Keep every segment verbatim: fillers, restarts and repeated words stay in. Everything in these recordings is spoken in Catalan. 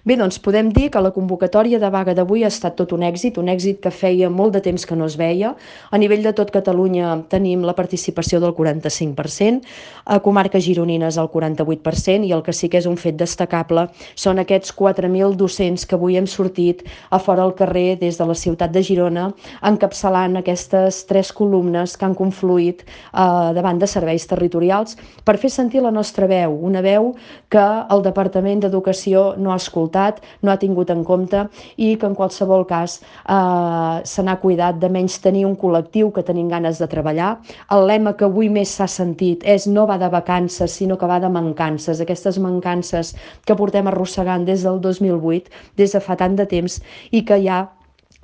Bé, doncs podem dir que la convocatòria de vaga d'avui ha estat tot un èxit, un èxit que feia molt de temps que no es veia. A nivell de tot Catalunya tenim la participació del quaranta-cinc per cent, a comarques gironines el quaranta-vuit per cent, i el que sí que és un fet destacable són aquests quatre mil docents que avui hem sortit a fora al carrer des de la ciutat de Girona, encapçalant aquestes tres columnes que han confluït eh, davant de serveis territorials per fer sentir la nostra veu, una veu que el Departament d'Educació no ha escoltat, no ha tingut en compte i que en qualsevol cas eh, se n'ha cuidat de menys tenir un col·lectiu que tenim ganes de treballar. El lema que avui més s'ha sentit és no va de vacances, sinó que va de mancances, aquestes mancances que portem arrossegant des del dos mil vuit, des de fa tant de temps, i que ja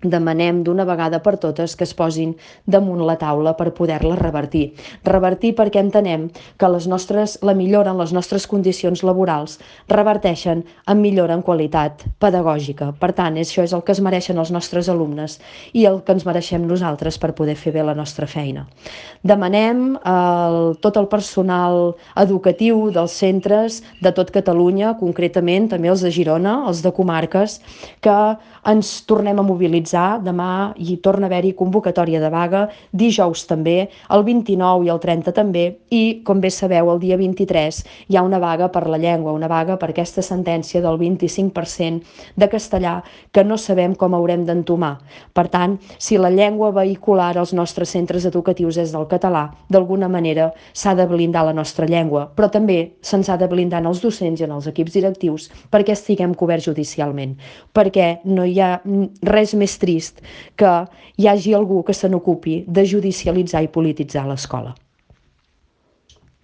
demanem d'una vegada per totes que es posin damunt la taula per poder-la revertir. Revertir perquè entenem que les nostres, la millora en les nostres condicions laborals reverteixen en millora en qualitat pedagògica. Per tant, això és el que es mereixen els nostres alumnes i el que ens mereixem nosaltres per poder fer bé la nostra feina. Demanem a tot el personal educatiu dels centres de tot Catalunya, concretament també els de Girona, els de comarques, que ens tornem a mobilitzar. Demà hi torna a haver-hi convocatòria de vaga, dijous també, el vint-i-nou i el trenta també, i, com bé sabeu, el dia vint-i-tres hi ha una vaga per la llengua, una vaga per aquesta sentència del vint-i-cinc per cent de castellà que no sabem com haurem d'entomar. Per tant, si la llengua vehicular als nostres centres educatius és del català, d'alguna manera s'ha de blindar la nostra llengua, però també se'ns ha de blindar en els docents i en els equips directius perquè estiguem coberts judicialment, perquè no hi ha res més trist que hi hagi algú que se n'ocupi de judicialitzar i polititzar l'escola.